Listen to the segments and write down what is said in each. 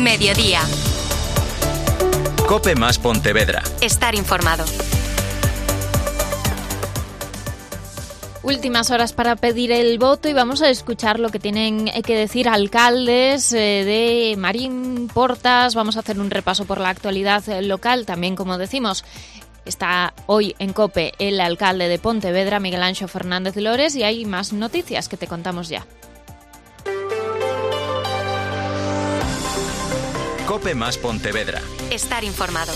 Mediodía. COPE más Pontevedra. Estar informado. Últimas horas para pedir el voto y vamos a escuchar lo que tienen que decir alcaldes de Marín, Portas. Vamos a hacer un repaso por la actualidad local. También, como decimos, está hoy en COPE el alcalde de Pontevedra, Miguel Anxo Fernández Lores, y hay más noticias que te contamos ya. COPE más Pontevedra. Estar informado.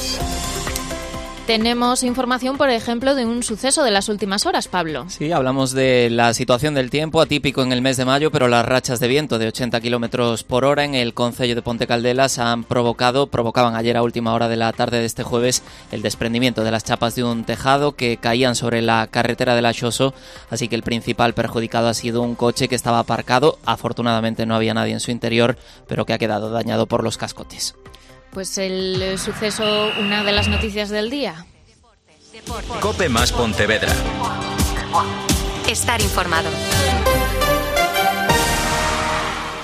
Tenemos información, por ejemplo, de un suceso de las últimas horas, Pablo. Sí, hablamos de la situación del tiempo, atípico en el mes de mayo, pero las rachas de viento de 80 kilómetros por hora en el concello de Ponte Caldelas provocaban ayer a última hora de la tarde de este jueves el desprendimiento de las chapas de un tejado que caían sobre la carretera de la Xoso, así que el principal perjudicado ha sido un coche que estaba aparcado. Afortunadamente no había nadie en su interior, pero que ha quedado dañado por los cascotes. Pues el suceso, una de las noticias del día. COPE más Pontevedra. Estar informado.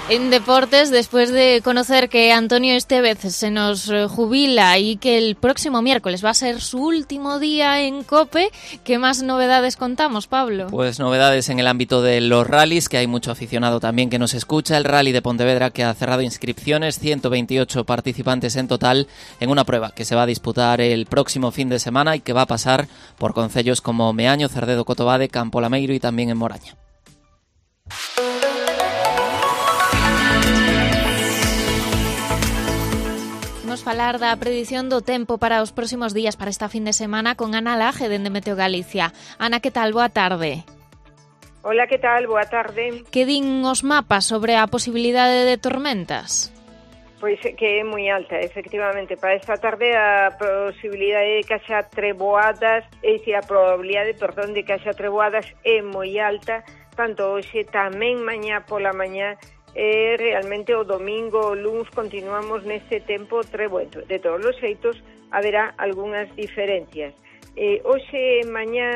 En deportes, después de conocer que Antonio Estevez se nos jubila y que el próximo miércoles va a ser su último día en COPE, ¿qué más novedades contamos, Pablo? Pues novedades en el ámbito de los rallies, que hay mucho aficionado también que nos escucha. El Rally de Pontevedra, que ha cerrado inscripciones, 128 participantes en total, en una prueba que se va a disputar el próximo fin de semana y que va a pasar por concellos como Meaño, Cerdedo, Cotobade, Campo Lameiro y también en Moraña. Vamos a falar da predición do tempo para os próximos días, para esta fin de semana, con Ana Laje, dende Meteo Galicia. Ana, que tal? Boa tarde. Hola, que tal? Boa tarde. Que din os mapas sobre a posibilidade de tormentas? Pois que é moi alta, efectivamente. Para esta tarde a posibilidade de que haxa treboadas, a probabilidade, de que haxa treboadas é moi alta, tanto hoxe tamén mañá pola mañá. Realmente o domingo o luns continuamos neste tempo treboento. De todos os xeitos, haberá algunhas diferencias. Hoxe e mañá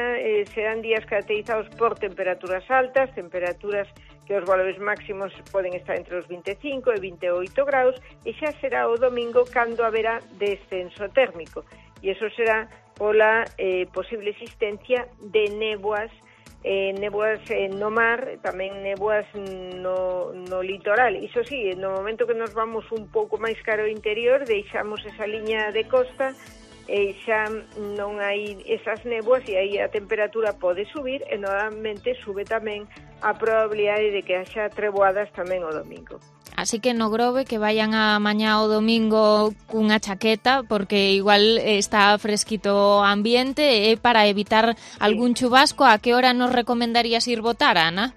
serán días caracterizados por temperaturas altas, temperaturas que os valores máximos poden estar entre os 25 e 28 graus, e xa será o domingo cando haberá descenso térmico. E iso será pola posible existencia de néboas, néboas no mar, tamén néboas no litoral. Iso sí, no momento que nos vamos un pouco máis caro ao interior, deixamos esa liña de costa e xa non hai esas néboas e aí a temperatura pode subir e normalmente sube tamén a probabilidade de que haxa treboadas tamén o domingo. Así que no Grove que vayan a mañá o domingo cunha chaqueta, porque igual está fresquito o ambiente, para evitar algún chubasco. A que hora nos recomendarías ir votar, Ana?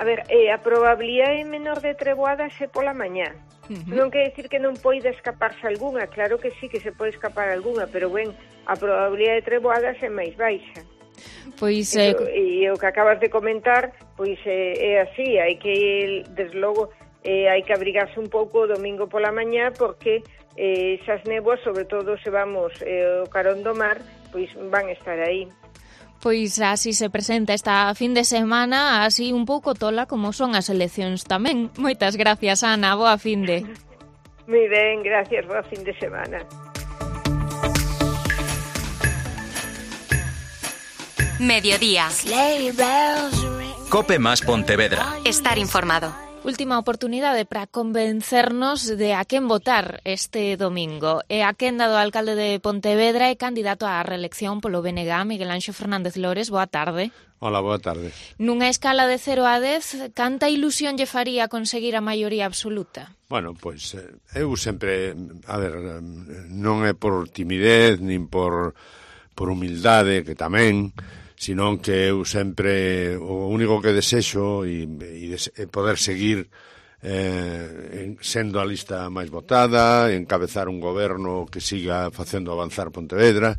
A ver, a probabilidade menor de treboadas é pola mañá. Non quer decir que non poida escaparse algunha, claro que sí que se pode escapar algunha, pero ben, a probabilidade de treboadas é máis baixa. Pois e o que acabas de comentar, pois é así, hai que, desde logo, hai que abrigarse un pouco o domingo pola mañá, porque esas néboas, sobre todo se vamos o carón do mar, pois van estar aí. Pois así se presenta esta fin de semana, así un pouco tola como son as eleccións tamén. Moitas gracias, Ana, boa finde. Moi ben, gracias, boa fin de semana. Mediodía. COPE más Pontevedra. Estar informado. Última oportunidade para convencernos de a quen votar este domingo. E a quen dado alcalde de Pontevedra e candidato á reelección polo BNG, Miguel Anxo Fernández Lores. Boa tarde. Hola, boa tarde. Nunha escala de 0 a 10, canta ilusión lle faría conseguir a maioría absoluta? Bueno, pois eu sempre, non é por timidez, nin por humildade, que tamén, senón que eu sempre o único que desexo e poder seguir sendo a lista máis votada, encabezar un goberno que siga facendo avanzar Pontevedra.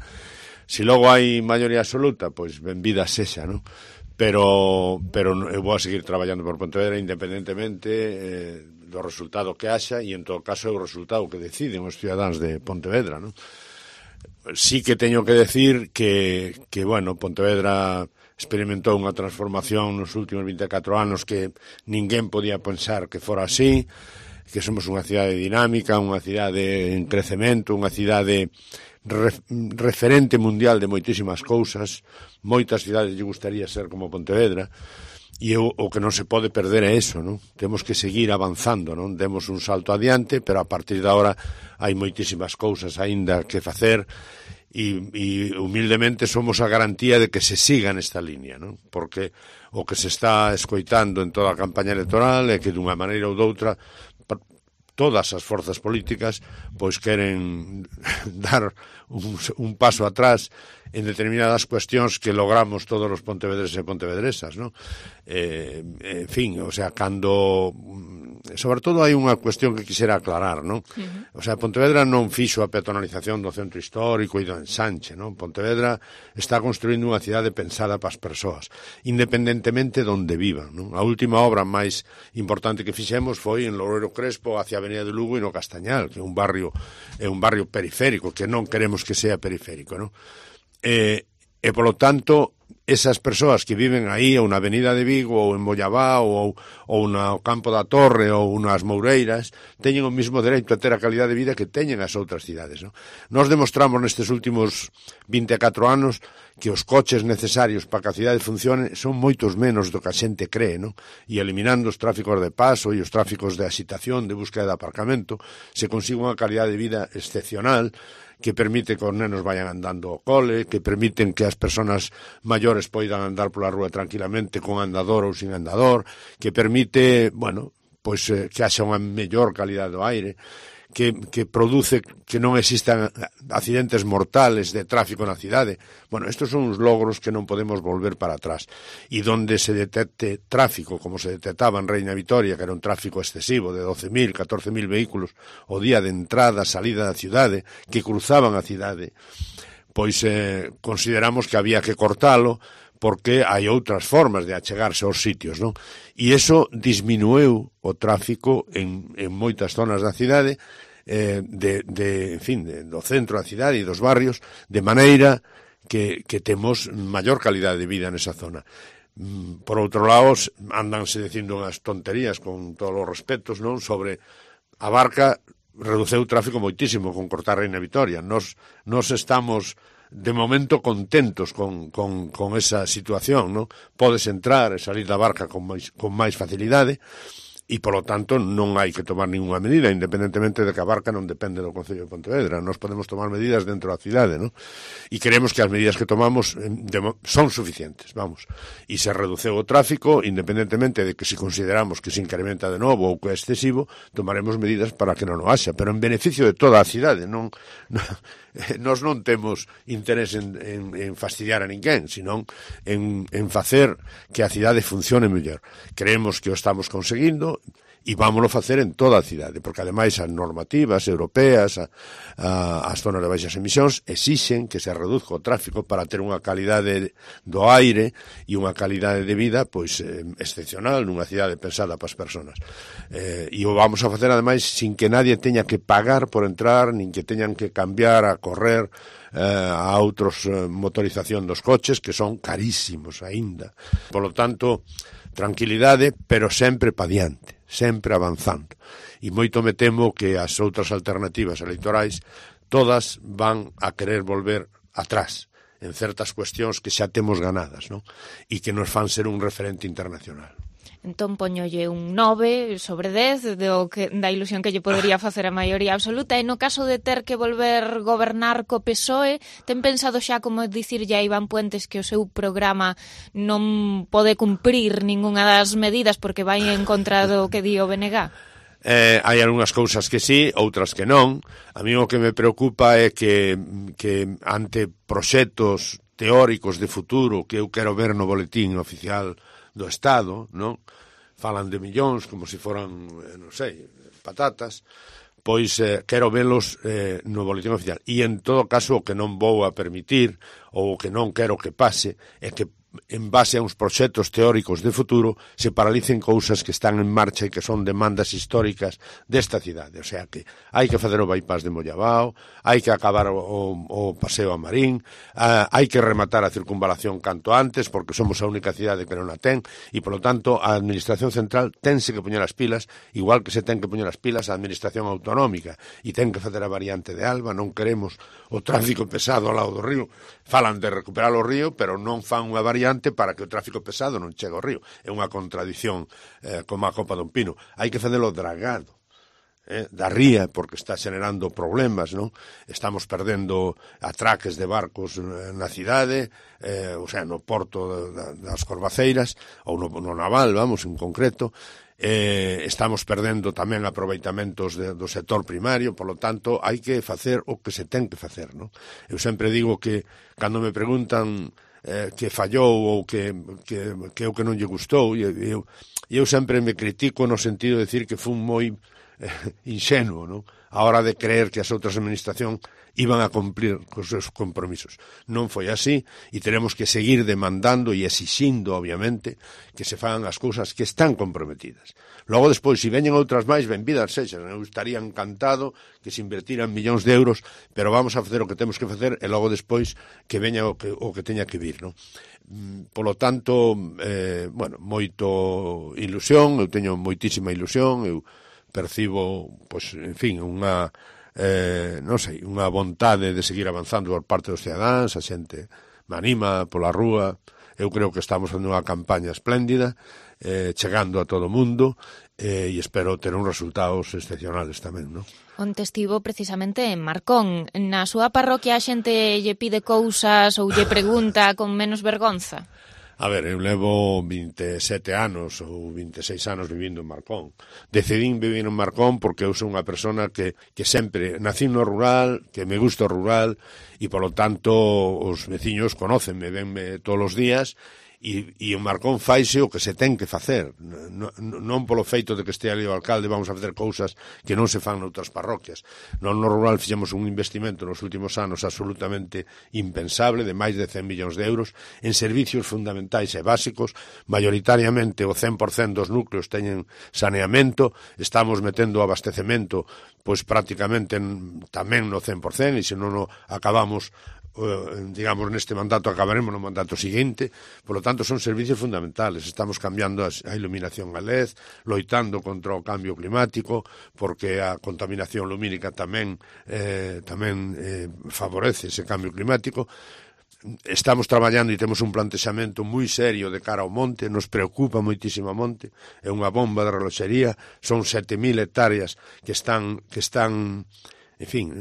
Se logo hai maioría absoluta, pois benvida sexa, non? Pero eu vou a seguir traballando por Pontevedra independentemente do resultado que haxa, e en todo caso é o resultado que deciden os cidadáns de Pontevedra, non? Sí que teño que decir que bueno, Pontevedra experimentou unha transformación nos últimos 24 anos que ninguén podía pensar que fora así, que somos unha cidade dinámica, unha cidade en crecemento, unha cidade referente mundial de moitísimas cousas. Moitas cidades lle gustaría ser como Pontevedra, e o que non se pode perder é eso, non? Temos que seguir avanzando, non? Demos un salto adiante, pero a partir de agora hai moitísimas cousas aínda que facer, e humildemente somos a garantía de que se siga nesta línea, non? Porque o que se está escoitando en toda a campaña electoral é que dunha maneira ou doutra todas as forzas políticas pois queren dar un paso atrás en determinadas cuestións que logramos todos os pontevedreses e pontevedresas, non? En fin, o sea, cando sobre todo hai unha cuestión que quixera aclarar, non? O sea, Pontevedra non fixo a peatonalización do centro histórico e do ensanche, non? Pontevedra está construindo unha cidade pensada para as persoas, independentemente de onde vivan, non? A última obra máis importante que fixemos foi en Loureiro Crespo hacia a Avenida de Lugo e no Castañal, que é un barrio periférico, que non queremos que sea periférico, non? E polo tanto, esas persoas que viven aí ou na Avenida de Vigo ou en Mollabá ou no Campo da Torre ou nas Moureiras teñen o mesmo dereito a ter a calidad de vida que teñen as outras cidades, non? Nos demostramos nestes últimos 24 anos que os coches necesarios para que a cidade funcione son moitos menos do que a xente cree, non? E eliminando os tráficos de paso e os tráficos de axitación, de búsqueda de aparcamento, se consigue unha calidad de vida excepcional que permite que os nenos vayan andando ao cole, que permiten que as persoas maiores poidan andar pola rúa tranquilamente con andador ou sin andador, que permite, bueno, pois que haxa unha mellor calidad do aire, que produce que non existan accidentes mortales de tráfico na cidade. Bueno, estos son uns logros que non podemos volver para atrás. E donde se detecte tráfico, como se detectaba en Reina Vitoria, que era un tráfico excesivo de 12.000, 14.000 vehículos o día de entrada, salida da cidade, que cruzaban a cidade, pois consideramos que había que cortalo, porque hai outras formas de achegarse aos sitios, non? E iso disminueu o tráfico en moitas zonas da cidade, en fin, do centro da cidade e dos barrios, de maneira que temos maior calidade de vida nesa zona. Por outro lado, andanse dicindo unhas tonterías, con todos os respetos, non? Sobre a Barca reduceu o tráfico moitísimo con cortar Reina Vitoria. Nos estamos de momento contentos con esa situación, non? Podes entrar e salir da Barca con máis facilidade e, polo tanto, non hai que tomar ninguna medida, independentemente de que a Barca non depende do Concello de Pontevedra. Nos podemos tomar medidas dentro da cidade, non? E creemos que as medidas que tomamos son suficientes, vamos. E se reduceu o tráfico, independentemente de que se consideramos que se incrementa de novo ou que é excesivo, tomaremos medidas para que non o haxa, pero en beneficio de toda a cidade, non... Nós non temos interés en fastidiar a ninguén, senón en facer que a cidade funcione mellor. Creemos que o estamos conseguindo e vámoslo facer en toda a cidade, porque ademais as normativas europeas, as zonas de baixas emisións, exixen que se reduzca o tráfico para ter unha calidade do aire e unha calidade de vida pois excepcional nunha cidade pensada para as persoas. E o vamos a facer ademais sin que nadie teña que pagar por entrar, nin que teñan que cambiar a correr a outros motorización dos coches, que son carísimos aínda. Por lo tanto, tranquilidade, pero sempre pa diante, sempre avanzando. E moito me temo que as outras alternativas electorais todas van a querer volver atrás en certas cuestións que xa temos ganadas, non? E que nos fan ser un referente internacional. Entón poñolle un 9 sobre 10 da ilusión que lle podería facer a maioría absoluta, e no caso de ter que volver gobernar co PSOE, ten pensado xa como dicirlle a Iván Puentes que o seu programa non pode cumprir ningunha das medidas porque vai en contra do que di o BNG? Hai algunhas cousas que sí, outras que non. A mí o que me preocupa é que ante proxectos teóricos de futuro que eu quero ver no boletín oficial do Estado, non? Falan de millóns como se foran, non sei, patatas, pois quero velos no boletín oficial. E en todo caso o que non vou a permitir ou o que non quero que pase é que en base a uns proxectos teóricos de futuro, se paralicen cousas que están en marcha e que son demandas históricas desta cidade. O sea que hai que facer o bypass de Mollabao, hai que acabar o paseo a Marín, hai que rematar a circunvalación canto antes, porque somos a única cidade que non a ten, e, polo tanto, a Administración Central tense que poñer as pilas, igual que se ten que poñer as pilas a Administración Autonómica, e ten que facer a variante de Alba. Non queremos o tráfico pesado ao lado do río. Falan de recuperar o río, pero non fan unha variante para que o tráfico pesado non chegue ao río. É unha contradición como a copa dun pino. Hai que facelo dragado da ría, porque está xenerando problemas, non? Estamos perdendo atraques de barcos na cidade, o sea, no porto das Corvaceiras, ou no naval, vamos, en concreto. Estamos perdendo tamén aproveitamentos do sector primario, polo tanto, hai que facer o que se ten que facer, non? Eu sempre digo que, cando me preguntan que fallou ou que o que non lle gustou, eu sempre me critico no sentido de decir que fun moi inxenuo, non? A hora de creer que as outras administracións iban a cumplir cos seus compromisos. Non foi así, e teremos que seguir demandando e exixindo, obviamente, que se fagan as cousas que están comprometidas. Logo, despois, se veñen outras máis, benvidas sexan. Eu estaría encantado que se invertiran millóns de euros, pero vamos a facer o que temos que facer e logo despois que veña o que teña que vir, non? Polo tanto, moito ilusión, eu teño moitísima ilusión, eu percibo, pois, en fin, unha unha vontade de seguir avanzando por parte dos cidadáns, a xente me anima pola rúa. Eu creo que estamos facendo unha campaña espléndida, chegando a todo o mundo, e espero ter uns resultados excepcionales tamén, non? Onte estivo precisamente en Marcón. Na súa parroquia a xente lle pide cousas ou lle pregunta con menos vergonza? A ver, eu levo 27 anos ou 26 anos vivindo en Marcón. Decidín vivir en Marcón porque eu sou unha persona que sempre nací no rural, que me gusta o rural, e polo tanto os veciños conócenme, venme todos os días, e en Marcón faise o que se ten que facer, non polo feito de que este ali o alcalde vamos a facer cousas que non se fan noutras parroquias. Non no rural fixemos un investimento nos últimos anos absolutamente impensable, de máis de 100 millóns de euros, en servicios fundamentais e básicos. Mayoritariamente o 100% dos núcleos teñen saneamento, estamos metendo abastecemento pois prácticamente tamén no 100%, e se non o acabamos, digamos, neste mandato, acabaremos no mandato seguinte. Por lo tanto, son servicios fundamentales. Estamos cambiando a iluminación a LED, loitando contra o cambio climático, porque a contaminación lumínica tamén favorece ese cambio climático. Estamos traballando e temos un plantexamento moi serio de cara ao monte, nos preocupa moitísimo o monte, é unha bomba de reloxería, son 7.000 hectáreas que están en fin,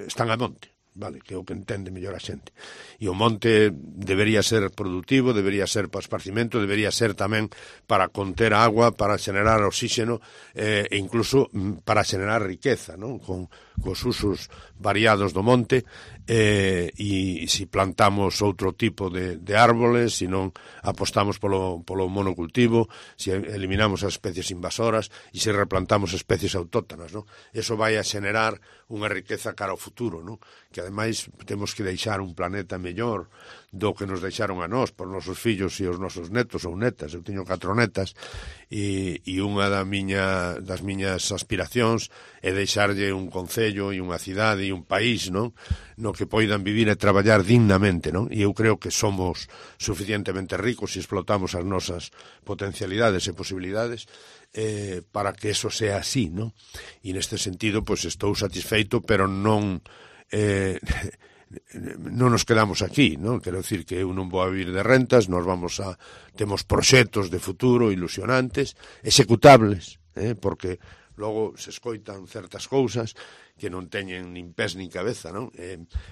están a monte. Vale, que é o que entende mellor a xente. E o monte debería ser productivo, debería ser para esparcimento, debería ser tamén para conter agua, para xenerar oxígeno e incluso para xenerar riqueza, non? Cos usos variados do monte, e se plantamos outro tipo de árboles, se non apostamos polo monocultivo, se eliminamos as especies invasoras e se replantamos especies autóctonas, non? Eso vai a xenerar unha riqueza cara ao futuro, non? Que ademais temos que deixar un planeta mellor do que nos deixaron a nós por nosos fillos e os nosos netos ou netas. Eu teño 4 netas e unha das miñas aspiracións é deixarlle un concello e unha cidade e un país, non? No que poidan vivir e traballar dignamente, non? E eu creo que somos suficientemente ricos e explotamos as nosas potencialidades e posibilidades para que eso sea así, non? E neste sentido, pois estou satisfeito, pero non nos quedamos aquí, non? Quero dicir que eu non vou a vivir de rentas, temos proxectos de futuro ilusionantes, executables, porque logo se escoitan certas cousas que non teñen nin pés nin cabeza, non?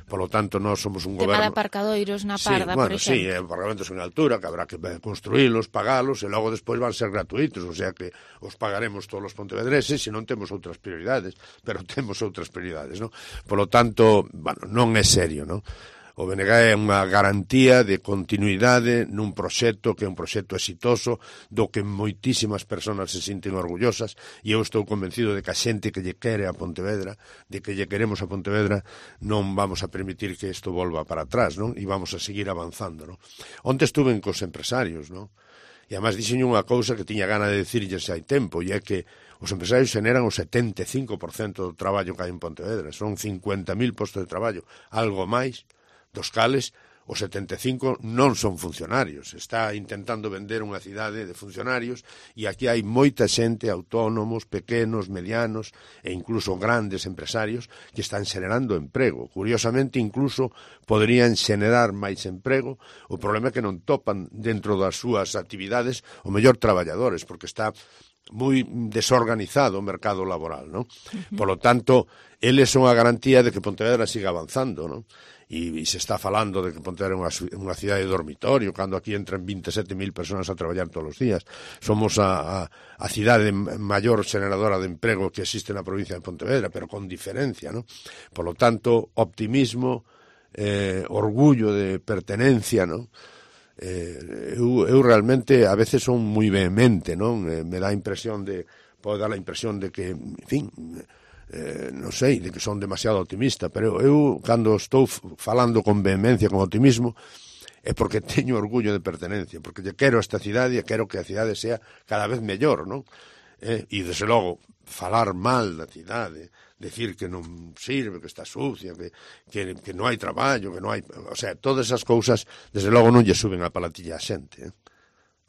Polo tanto, nós somos un goberno... Tema de aparcadoiros na Parda, por exemplo. Sí, aparcamentos en altura, que habrá que construílos, pagalos, e logo despois van ser gratuitos, o sea que os pagaremos todos os pontevedreses se non temos outras prioridades, pero temos outras prioridades, non? Polo tanto, bueno, non é serio, non? O BNG é unha garantía de continuidade nun proxecto que é un proxecto exitoso, do que moitísimas persoas se sinten orgullosas, e eu estou convencido de que a xente que lle quere a Pontevedra, de que lle queremos a Pontevedra, non vamos a permitir que isto volva para atrás, non? E vamos a seguir avanzando, non? Onte estuve cos empresarios, non? E además dixen unha cousa que tiña gana de dicirlles hai tempo, e é que os empresarios generan o 75% do traballo que hai en Pontevedra. Son 50.000 postos de traballo, algo máis, dos cales os 75 non son funcionarios. Está intentando vender unha cidade de funcionarios e aquí hai moita xente, autónomos, pequenos, medianos e incluso grandes empresarios que están xenerando emprego. Curiosamente, incluso poderían xenerar máis emprego. O problema é que non topan dentro das súas actividades o mellor traballadores, porque está moi desorganizado o mercado laboral, non? Por lo tanto, eles son a garantía de que Pontevedra siga avanzando, non? E se está falando de que Pontevedra é unha cidade de dormitorio, cando aquí entran 27.000 persoas a traballar todos os días. Somos a cidade maior xeneradora de emprego que existe na provincia de Pontevedra, pero con diferencia, non? Por lo tanto, optimismo, orgullo de pertenencia, non? Eu realmente a veces son moi vehemente, non? Me dá a impresión pode dar a impresión de que, en fin, non sei, de que son demasiado optimista, pero eu, cando estou falando con vehemencia, con optimismo, é porque teño orgullo de pertenencia, porque lle quero a esta cidade e quero que a cidade sea cada vez mellor, non? E, desde logo, falar mal da cidade, decir que non sirve, que está sucia, que non hai traballo, que non hai... O sea, todas esas cousas, desde logo, non lle suben a palatilla a xente,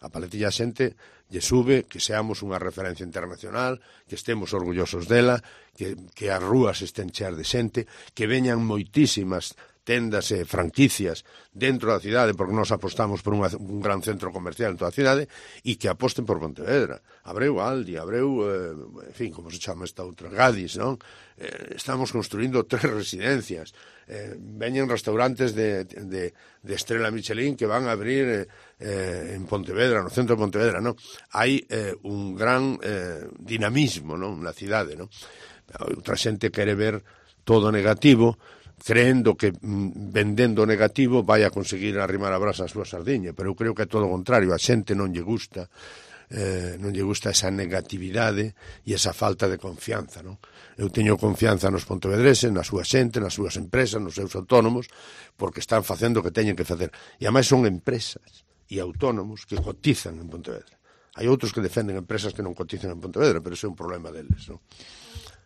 A paletilla a xente lle sube que seamos unha referencia internacional, que estemos orgullosos dela, que as rúas estén cheas de xente, que veñan moitísimas tendas e franquicias dentro da cidade, porque nós apostamos por un gran centro comercial en toda a cidade, e que aposten por Pontevedra. Abreu Aldi, abreu, en fin, como se chama esta outra, Gadis, non? Estamos construindo 3 residencias. Veñen restaurantes de estrela Michelin que van a abrir en Pontevedra, no centro de Pontevedra, non? Hai un gran dinamismo, non? Na cidade, non? Outra xente quere ver todo negativo, creendo que vendendo negativo vai a conseguir arrimar a brasa a súa sardiña, pero eu creo que é todo o contrario. A xente non lle gusta esa negatividade e esa falta de confianza, non? Eu teño confianza nos pontevedreses, na súa xente, nas súas empresas, nos seus autónomos, porque están facendo o que teñen que facer. E ademais son empresas e autónomos que cotizan en Pontevedra. Hai outros que defenden empresas que non cotizan en Pontevedra, pero ese é un problema deles, non?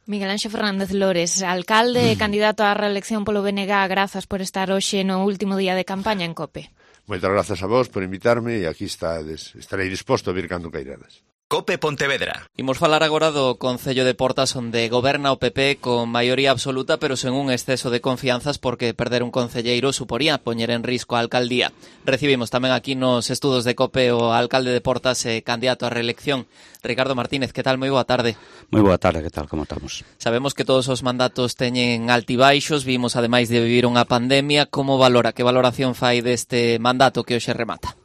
Miguel Anxo Fernández Lores, alcalde e candidato á reelección polo BNG, grazas por estar hoxe no último día de campaña en COPE. Moitas grazas a vos por invitarme e aquí estarei disposto a vir cando queirades. COPE Pontevedra. Imos falar agora do Concello de Portas, onde goberna o PP con maioría absoluta, pero sen un exceso de confianzas, porque perder un concelleiro suporía poñer en risco a alcaldía. Recibimos tamén aquí nos estudos de COPE o alcalde de Portas e candidato á reelección, Ricardo Martínez. Que tal? Moi boa tarde. Moi boa tarde, que tal? Como estamos? Sabemos que todos os mandatos teñen altibaixos, vimos ademais de vivir unha pandemia. Como valora, que valoración fai deste mandato que hoxe remata?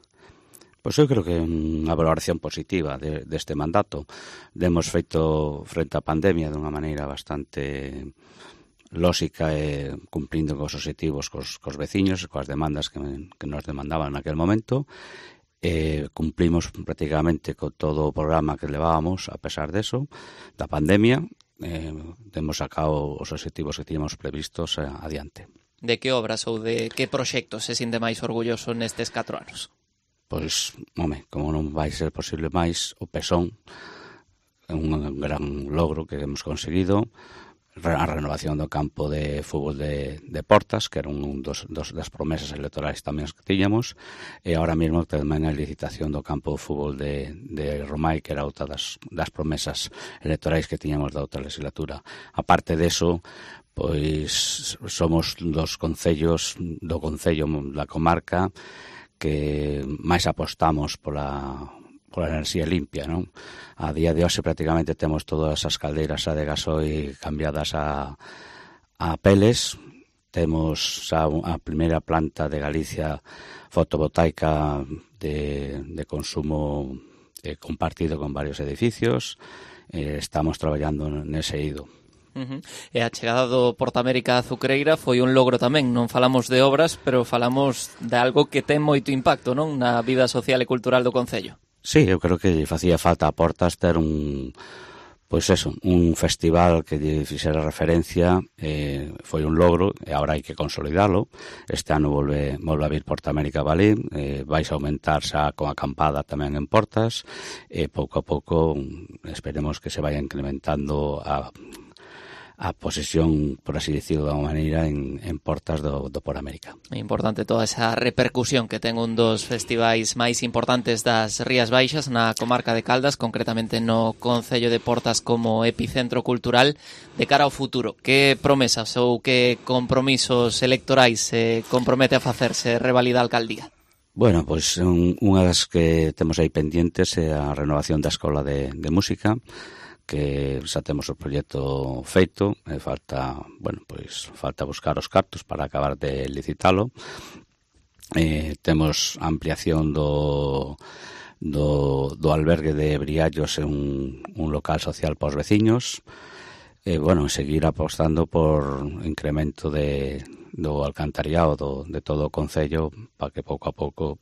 Pois eu creo que é unha valoración positiva deste mandato. Demos feito frente á pandemia de unha maneira bastante lóxica e cumprindo cos obxectivos cos veciños, coas demandas que nos demandaban naquel momento. Cumplimos prácticamente con todo o programa que levábamos a pesar deso, da pandemia. Demos sacado os obxectivos que tiñamos previstos adiante. De que obras ou de que proxectos se sinte máis orgulloso nestes 4 anos? Pois, como non vai ser posible máis, o Pesón é un gran logro que hemos conseguido. A renovación do campo de fútbol de Portas, que era un das promesas electorais tamén que tiñamos, e agora mesmo tamén a licitación do campo de fútbol de Romai, que era outra das promesas electorais que tiñamos da outra legislatura. A parte deso, pois somos dos concellos do concello da comarca que máis apostamos pola enerxía limpia, non? A día de hoxe prácticamente temos todas as caldeiras de gasoi cambiadas a peles. Temos xa a primeira planta de Galicia fotovoltaica de consumo compartido con varios edificios. Estamos traballando nese eido. E a chegada do Portamérica a Azucreira foi un logro tamén. Non falamos de obras, pero falamos de algo que ten moito impacto, non, na vida social e cultural do concello. Sí, eu creo que lle facía falta a Portas ter un festival que lle fixera referencia, foi un logro e agora hai que consolidalo. Este ano volve a vir Portamérica Valí, vais a aumentar xa con acampada tamén en Portas, e pouco a pouco esperemos que se vaya incrementando a posesión, por así decirlo de alguma maneira, en Portas do Poramérica. É importante toda esa repercusión que ten un dos festivais máis importantes das Rías Baixas na comarca de Caldas, concretamente no concello de Portas como epicentro cultural de cara ao futuro. Que promesas ou que compromisos electorais se compromete a facerse revalida a alcaldía? Bueno, pois unha das que temos aí pendientes é a renovación da Escola de Música, que xa temos o proxecto feito, falta buscar os cartos para acabar de licitalo. Temos ampliación do albergue de Briallos en un local social para os veciños. Seguir apostando por incremento do alcantariado de todo o concello para que pouco a pouco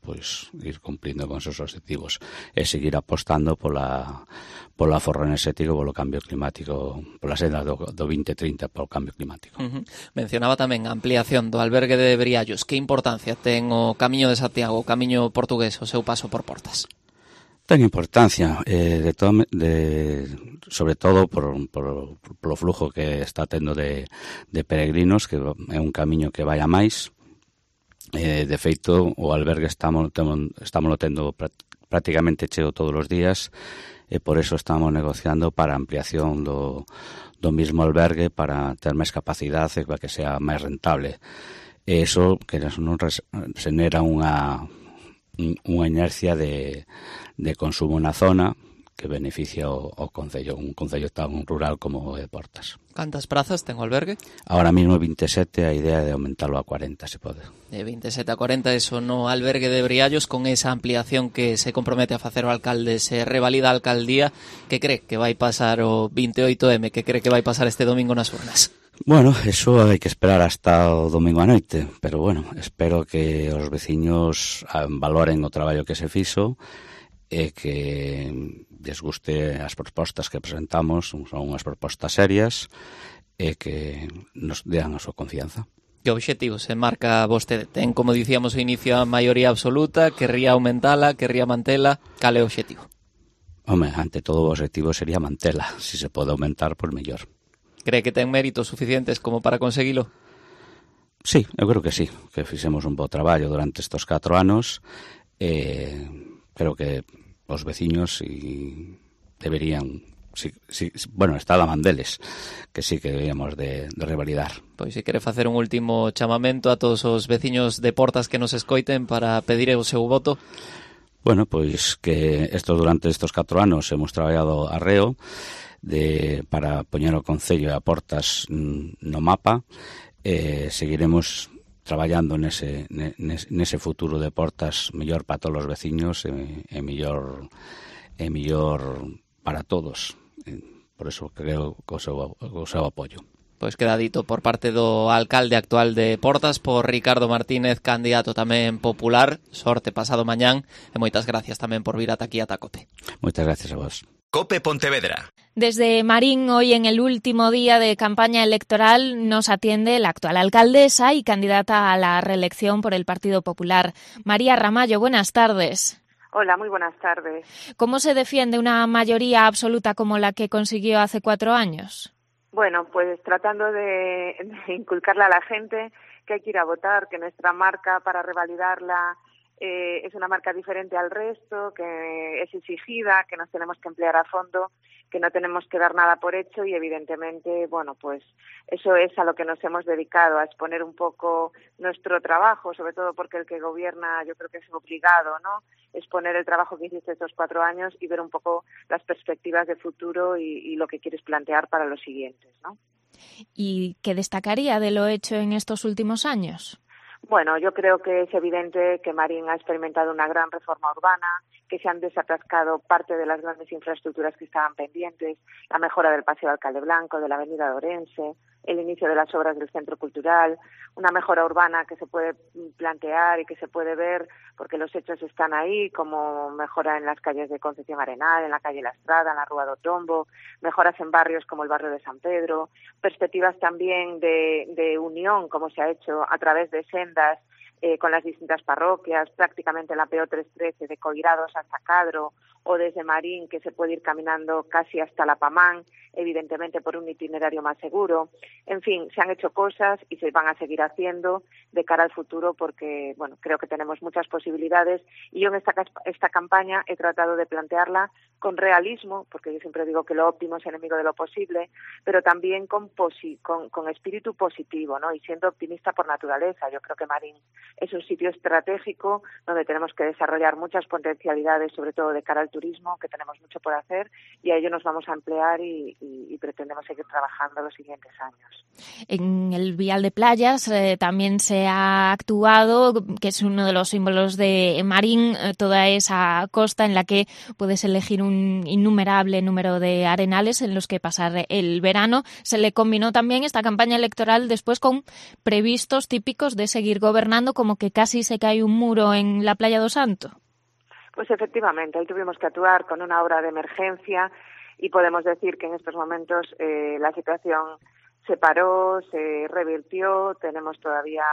ir cumplindo con esos objetivos e seguir apostando polo aforro enerxético, polo cambio climático, pola senda do 2030 polo cambio climático. Mencionaba tamén a ampliación do albergue de Briallos. Que importancia ten o Camiño de Santiago, o Camiño portugués, o seu paso por Portas? Ten importancia, sobre todo polo flujo que está tendo de peregrinos, que é un camiño que vai a máis. De feito, o albergue estámoslo tendo prácticamente cheo todos os días, e por eso estamos negociando para a ampliación do mismo albergue para ter máis capacidade e para que sea máis rentable. E iso que non xenera unha inercia de consumo na zona que beneficia o concello, un concello tan rural como o de Portas. Cantas prazas ten o albergue? Ahora mismo 27, a idea de aumentarlo a 40, se pode. De 27 a 40, eso no albergue de Briallos, con esa ampliación que se compromete a facer o alcalde, se revalida a alcaldía. Que cree que vai pasar o 28M? Que cree que vai pasar este domingo nas urnas? Bueno, eso hai que esperar hasta o domingo a noite, pero espero que os veciños valoren o traballo que se fixo e que les guste as propostas que presentamos, son unhas propostas serias e que nos dean a súa confianza. Que obxectivo se marca vostede? Ten, como dicíamos ao inicio, a maioría absoluta, querría aumentala, querría mantela, cal é o obxectivo? Ante todo o obxectivo sería mantela, se se pode aumentar, pois mellor. Cree que ten méritos suficientes como para conseguilo? Sí, eu creo que sí, que fixemos un bo traballo durante estes 4 anos. Creo que os veciños deberían, está da man deles, que sí que deberíamos de revalidar. Pois se quere facer un último chamamento a todos os veciños de Portas que nos escoiten para pedir o seu voto. Bueno, pois que durante estes 4 anos hemos traballado arreo para poñer o concello e a Portas no mapa. Seguiremos traballando nese futuro de Portas mellor para todos os veciños e mellor para todos. Por eso creo que o seu apoio. Pois queda dito por parte do alcalde actual de Portas, por Ricardo Martínez, candidato tamén popular. Sorte pasado mañán e moitas gracias tamén por vir ata aquí ata Cope. Moitas gracias a vos. Cope Pontevedra. Desde Marín, hoy en el último día de campaña electoral, nos atiende la actual alcaldesa y candidata a la reelección por el Partido Popular, María Ramallo. Buenas tardes. Hola, muy buenas tardes. ¿Cómo se defiende una mayoría absoluta como la que consiguió hace 4 años? Bueno, pues tratando de inculcarle a la gente que hay que ir a votar, que nuestra marca para revalidarla es una marca diferente al resto, que es exigida, que nos tenemos que emplear a fondo, que no tenemos que dar nada por hecho y evidentemente, bueno, pues eso es a lo que nos hemos dedicado, a exponer un poco nuestro trabajo, sobre todo porque el que gobierna yo creo que es obligado, ¿no? Exponer el trabajo que hiciste estos 4 años y ver un poco las perspectivas de futuro y lo que quieres plantear para los siguientes, ¿no? ¿Y qué destacaría de lo hecho en estos últimos años? Bueno, yo creo que es evidente que Marín ha experimentado una gran reforma urbana, que se han desatascado parte de las grandes infraestructuras que estaban pendientes, la mejora del Paseo Alcalde Blanco, de la Avenida de Orense, el inicio de las obras del Centro Cultural, una mejora urbana que se puede plantear y que se puede ver porque los hechos están ahí, como mejora en las calles de Concepción Arenal, en la calle La Estrada, en la Rúa do Tombo, mejoras en barrios como el barrio de San Pedro, perspectivas también de unión, como se ha hecho a través de sendas con las distintas parroquias, prácticamente en la PO 313 de Coirados hasta Cadro, o desde Marín, que se puede ir caminando casi hasta La Pamán, evidentemente por un itinerario más seguro. En fin, se han hecho cosas y se van a seguir haciendo de cara al futuro porque, bueno, creo que tenemos muchas posibilidades y yo en esta campaña he tratado de plantearla con realismo, porque yo siempre digo que lo óptimo es enemigo de lo posible, pero también con espíritu positivo, ¿no? Y siendo optimista por naturaleza. Yo creo que Marín es un sitio estratégico donde tenemos que desarrollar muchas potencialidades, sobre todo de cara al turismo, que tenemos mucho por hacer y a ello nos vamos a emplear y pretendemos seguir trabajando los siguientes años. En el Vial de Playas también se ha actuado, que es uno de los símbolos de Marín, toda esa costa en la que puedes elegir un innumerable número de arenales en los que pasar el verano. Se le combinó también esta campaña electoral después con previstos típicos de seguir gobernando, como que casi se cae un muro en la Playa do Santo. Pues efectivamente, ahí tuvimos que actuar con una obra de emergencia y podemos decir que en estos momentos la situación se paró, se revirtió, tenemos todavía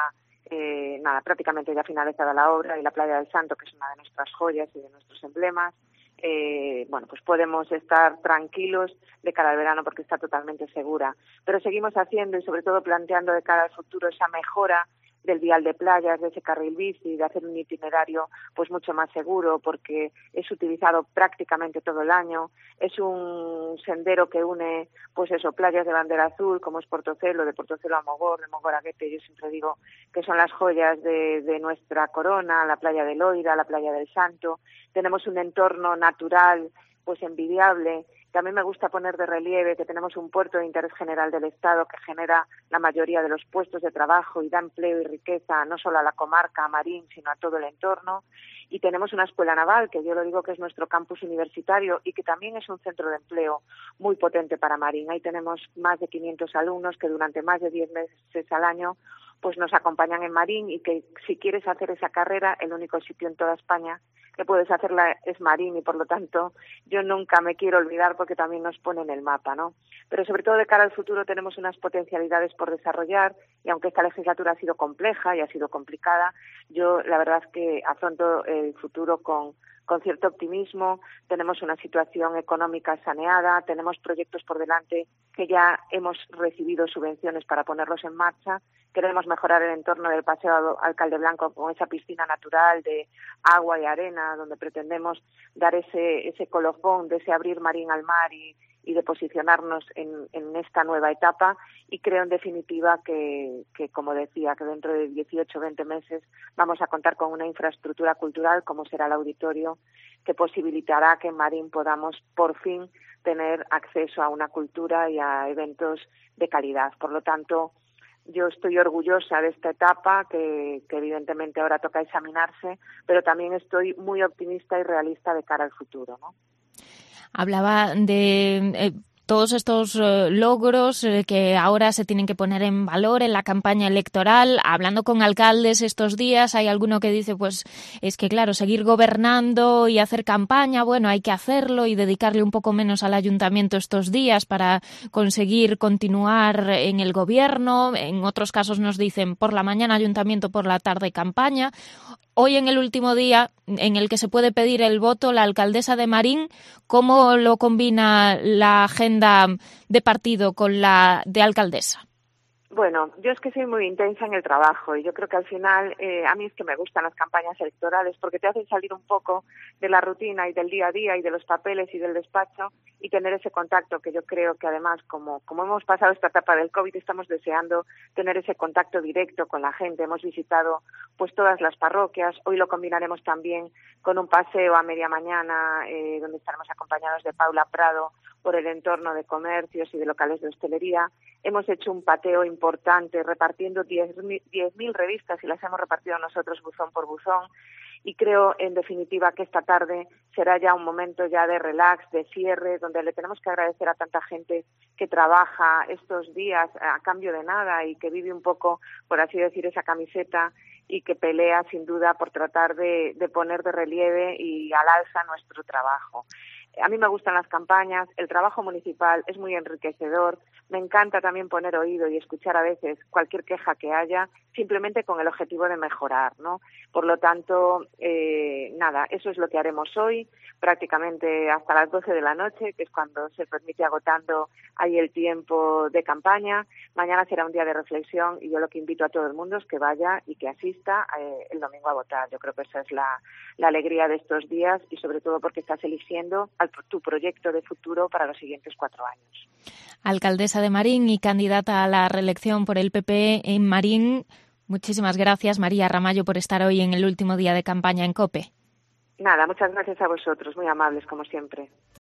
prácticamente ya finalizada la obra y la Playa del Santo, que es una de nuestras joyas y de nuestros emblemas, pues podemos estar tranquilos de cara al verano porque está totalmente segura. Pero seguimos haciendo y sobre todo planteando de cara al futuro esa mejora del vial de playas, de ese carril bici, de hacer un itinerario pues mucho más seguro porque es utilizado prácticamente todo el año, es un sendero que une pues eso, playas de bandera azul como es Portocelo, de Portocelo a Mogor, de Mogor a Guete, yo siempre digo que son las joyas de nuestra corona, la playa de Loira, la playa del Santo, tenemos un entorno natural pues envidiable. También me gusta poner de relieve que tenemos un puerto de interés general del Estado que genera la mayoría de los puestos de trabajo y da empleo y riqueza no solo a la comarca, a Marín, sino a todo el entorno. Y tenemos una escuela naval, que yo lo digo que es nuestro campus universitario y que también es un centro de empleo muy potente para Marín. Ahí tenemos más de 500 alumnos que durante más de 10 meses al año pues nos acompañan en Marín y que si quieres hacer esa carrera, el único sitio en toda España que puedes hacerla es Marín y por lo tanto yo nunca me quiero olvidar porque también nos pone en el mapa, ¿no? Pero sobre todo de cara al futuro tenemos unas potencialidades por desarrollar y aunque esta legislatura ha sido compleja y ha sido complicada, yo la verdad es que afronto el futuro con cierto optimismo, tenemos una situación económica saneada, tenemos proyectos por delante que ya hemos recibido subvenciones para ponerlos en marcha, queremos mejorar el entorno del Paseo Alcalde Blanco con esa piscina natural de agua y arena, donde pretendemos dar ese colofón de ese abrir Marín al mar y de posicionarnos en esta nueva etapa y creo en definitiva que como decía, que dentro de 18 o 20 meses vamos a contar con una infraestructura cultural como será el auditorio que posibilitará que en Marín podamos por fin tener acceso a una cultura y a eventos de calidad. Por lo tanto, yo estoy orgullosa de esta etapa que evidentemente ahora toca examinarse, pero también estoy muy optimista y realista de cara al futuro, ¿no? Hablaba de todos estos logros que ahora se tienen que poner en valor en la campaña electoral. Hablando con alcaldes estos días, hay alguno que dice, pues es que claro, seguir gobernando y hacer campaña, bueno, hay que hacerlo y dedicarle un poco menos al ayuntamiento estos días para conseguir continuar en el gobierno. En otros casos nos dicen por la mañana ayuntamiento, por la tarde campaña. Hoy, en el último día en el que se puede pedir el voto, la alcaldesa de Marín, ¿cómo lo combina la agenda de partido con la de alcaldesa? Bueno, yo es que soy muy intensa en el trabajo y yo creo que al final a mí es que me gustan las campañas electorales porque te hacen salir un poco de la rutina y del día a día y de los papeles y del despacho y tener ese contacto que yo creo que además como hemos pasado esta etapa del COVID estamos deseando tener ese contacto directo con la gente. Hemos visitado pues todas las parroquias, hoy lo combinaremos también con un paseo a media mañana donde estaremos acompañados de Paula Prado por el entorno de comercios y de locales de hostelería. Hemos hecho un pateo importante repartiendo 10.000 revistas y las hemos repartido nosotros buzón por buzón y creo, en definitiva, que esta tarde será ya un momento ya de relax, de cierre, donde le tenemos que agradecer a tanta gente que trabaja estos días a cambio de nada y que vive un poco, por así decir, esa camiseta y que pelea sin duda por tratar de poner de relieve y al alza nuestro trabajo. A mí me gustan las campañas, el trabajo municipal es muy enriquecedor, me encanta también poner oído y escuchar a veces cualquier queja que haya, simplemente con el objetivo de mejorar, ¿no? Por lo tanto, nada, eso es lo que haremos hoy, prácticamente hasta las 12 de la noche, que es cuando se permite agotando ahí el tiempo de campaña. Mañana será un día de reflexión y yo lo que invito a todo el mundo es que vaya y que asista el domingo a votar. Yo creo que esa es la alegría de estos días y sobre todo porque estás eligiendo tu proyecto de futuro para los siguientes 4 años. Alcaldesa de Marín y candidata a la reelección por el PP en Marín, muchísimas gracias, María Ramallo, por estar hoy en el último día de campaña en COPE. Nada, muchas gracias a vosotros, muy amables como siempre.